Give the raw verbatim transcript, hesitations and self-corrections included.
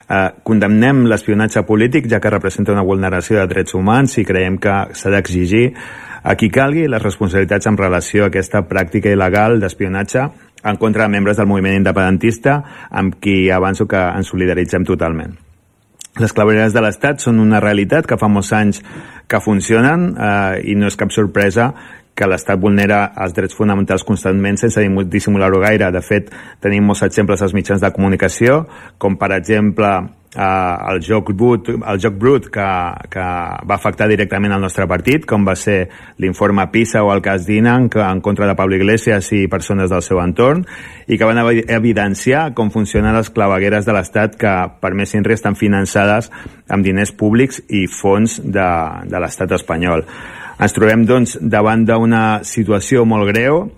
Eh, condemnem l'espionatge polític, ja que representa una vulneració de drets humans, i creiem que s'ha d'exigir a qui calgui les responsabilitats en relació a aquesta pràctica il·legal d'espionatge en contra de membres del moviment independentista, amb qui avanço que ens solidaritzem totalment. Les clavegueres de l'Estat són una realitat que fa molts anys que funcionen, eh, i no és cap sorpresa que l'Estat vulnera els drets fonamentals constantment sense dissimular-ho gaire. De fet, tenim molts exemples als mitjans de comunicació, com per exemple eh, el joc brut, el joc brut que, que va afectar directament el nostre partit, com va ser l'informe PISA o el cas Dinan en contra de Pablo Iglesias i persones del seu entorn, i que van evidenciar com funcionen les clavegueres de l'Estat que, per més inri, estan finançades amb diners públics i fons de, de l'Estat espanyol. Ens trobem, doncs, davant d'una situació molt greu